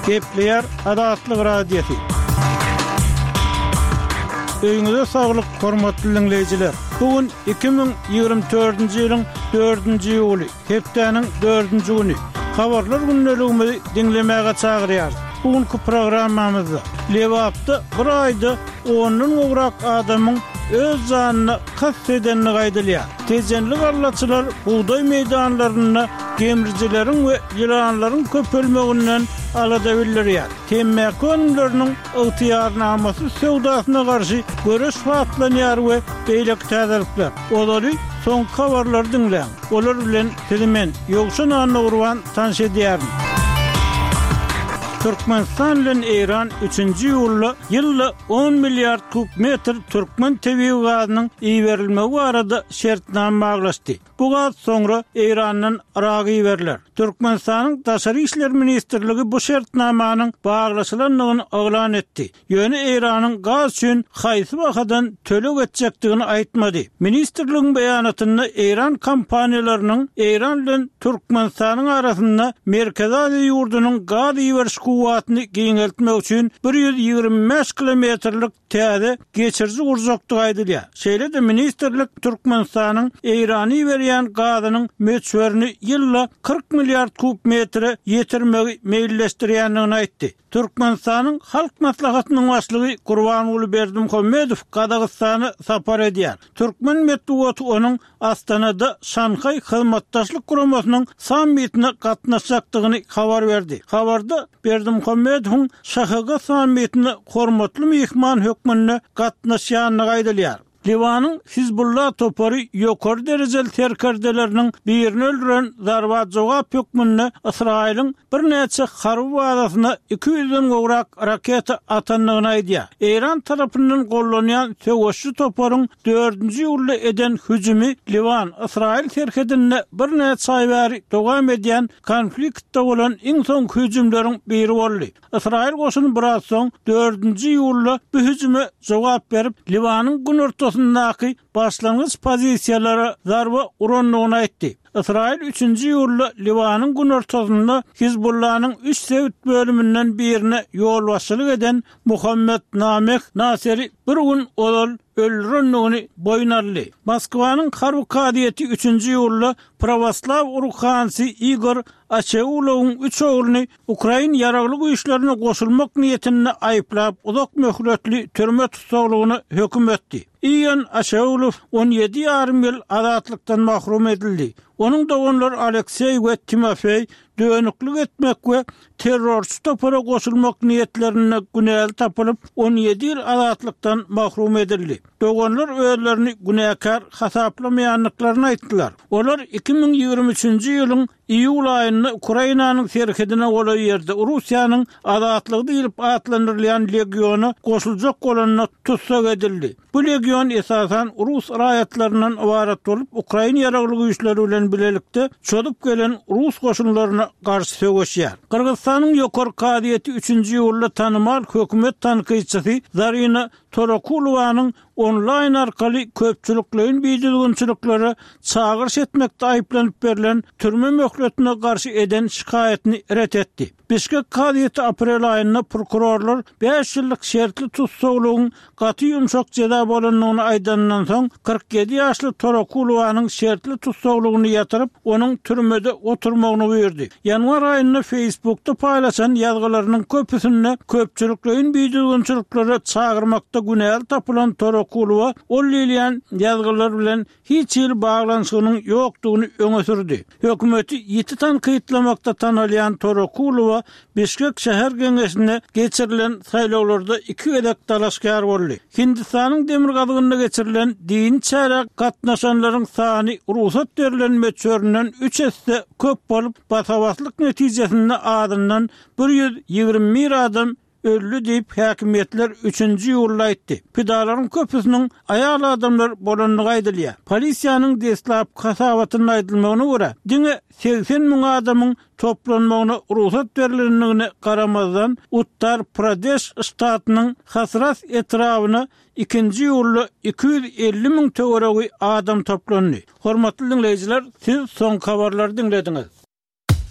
Gepleýär Azatlyk Radiosy. Öýüňize saglyk, hormatly diňleýjiler! Bu gün 2024-nji ýylyň dördünji iýuly, hepdäniň dördünji güni. Habarlar gündeligimizi diňlemäge çagyrýarys. Bu günki programmamyzda Lebapda bir aýda ondan gowrak adamyň öz janyna kast edendigi aýdylýar. Tejenli gallaçylar bugdaý meýdanlarynda gemrijileriň we ýylanlaryň köpelmeginden alada bildirýär. Temmäki önümleriniň ygtyýarnamasyz söwdasyna garşy göreş batlanýar we beýleki täzelikler. Ozaly soňky habarlary diňläň. Olar bilen sizi men, Ýowşan Annagurban tanyş edýärin. Türkmenistan bilen Eýran üçünji iýulda ýylda on milliard kub metr türkmen tebigy gazynyň iberilmegi barada şertnama baglaşdy. Bu gaz soňra Eýrandan Yraga iberiler. Türkmenistanyň Daşary işler ministrligi bu şertnamanyň baglaşylandygyny yglan etdi. Ýöne Eýranyň gaz üçin haýsy bahadan töleg etjekdigini aýtmady. Ministrligiň beýanatynda eýran kompaniýalarynyň Eýran bilen Türkmenistanyň arasynda Merkezi Aziýa ýurdunyň gaz iberiş kuwwatyny giňeltmek üçin 125 kilometrlik täze geçiriji gurjakdygy aýdylýar. Şeýle-de ministrlik Türkmenistanyň Eýrana iberýän gazynyň möçberini ýylda 40 milliard kub metre ýetirmegi meýilleşdirýändigini aýtdy. Türkmenistanyň Halk Maslahatynyň Başlygy Gurbanguly Berdimuhamedow Gazagystana sapar edýär. Türkmen metbugaty onuň Astanada Şanhaý Hyzmatdaşlyk Guramasynyň sammitine gatnaşjakdygyny habar berdi. Habarda Berdimuhamedowyň ŞHG sammitine hormatly myhman hökmünde gatnaşýandygy aýdylýar. Liwanyň Hizbullah topary ýokary derejeli serkerdeleriniň birini öldüren zarba jogap hökmünde Ysraýylyň birnäçe harby bazasyna 200-den gowrak raketa atandygyny aýdýar. Eýran tarapyndan gollanýan söweşçi toparyň dördünji iýulda eden hüjümi Liwan, Ysraýyl serhedinde birnäçe aý bäri dowam edýän konfliktde bolan iň soňky hüjümleriň biri boldy. Ysraýyl goşuny biraz soň, dördünji iýulda bu hüjüme jogap berip, Liwanyň günortasyndaky başlangyç pozisiýalara zarba urandygyny aýtdy. Ysraýyl üçünji iýulda Liwanyň günortasynda Hizbullanyň üç sebit bölüminden birine ýolbaşçylyk eden Muhammed Nameh Naseri bir gün ozal öldürendigini boýun aldy. Moskwanyň harby kazyýeti üçünji iýulda prawoslaw ruhanysy Igor Açeulowyň üç ogluny Ukrain ýaragly güýçlerine goşulmak niýetinde aýyplap, uzak möhletli türme tussaglygyna höküm etdi. Ion Aşeulow 17 ýarym ýyl azatlykdan mahrum edildi. Onuň doganlary Alekseý we Timofeý dönüklik etmek we terrorçy topara goşulmak niýetlerinde günäli tapylyp, 17 ýyl azatlykdan mahrum edildi. Doganlar özlerini günäkär hasaplamaýandyklaryny aýtdylar. Olar 2023-nji ýylyň Iýul aýynda Ukrainanyň serhedine golaý ýerde Russiýanyň Azatlygy diýlip atlandyrylýan legiona goşuljak bolanda tussag edildi. Bu legion esasan rus raýatlaryndan ybarat bolup, ukrain ýaragly güýçleri bilen bilelikde çozup gelen rus goşunlaryna garşy söweşýär. Gyrgyzystanyň Ýokary kazyýeti üçünji iýulda tanymal hökümet tankytçysy Zarina Torakulowanyň onlaýn arkaly köpçülikleýin bidüzgünçiliklere çagyryş etmekde aýyplanyp berlen türme möhletine garşy eden şikaýatyny ret etdi. Bişkek kazyýeti aprel aýynda prokurorlar bäş ýyllyk şertli tussaglygyň gaty ýumşak jeza bolandygyny aýdanyndan soň, 47 ýaşly Torakulowanyň şertli tussaglygyny ýatyryp, onuň türmede oturmagyny buýurdy. Ýanwar aýynda Facebookda paýlaşan ýazgylarynyň köpüsinde köpçülikleýin bidüzgünçiliklere çagyrmakda günäli tapylan Torakulowa ol diýilýän ýazgylar bilen hiç hili baglanyşygynyň ýokdugyny öňe sürdi. Hökümeti ýiti tankytlamakda tanalýan Torakulowa Bişkek şäher geňeşine geçirilen saýlawlarda iki gezek dalaşgär boldy. Hindistanyň demirgazygynda geçirilen dini çärä gatnaşanlaryň sany rugsat berlen möçberinden üç esse köp bolup, basa-baslyk netijesinde azyndan 121 adam öldi diýip, häkimiýetler üçünji iýulda aýtdy. Pidalaryň köpüsiniň aýal adamlar bolandygy aýdylýar. Polisiýanyň deslapky hasabatynda aýdylmagyna görä, diňe 80 müň adamyň toplanmagyna rugsat berlendigine garamazdan, Uttar-Pradeş ştatynyň Hasras etrabyna ikinji iýulda 250 müň töweregi adam toplandy. Hormatly diňleýjiler, siz soňky habarlary diňlediňiz.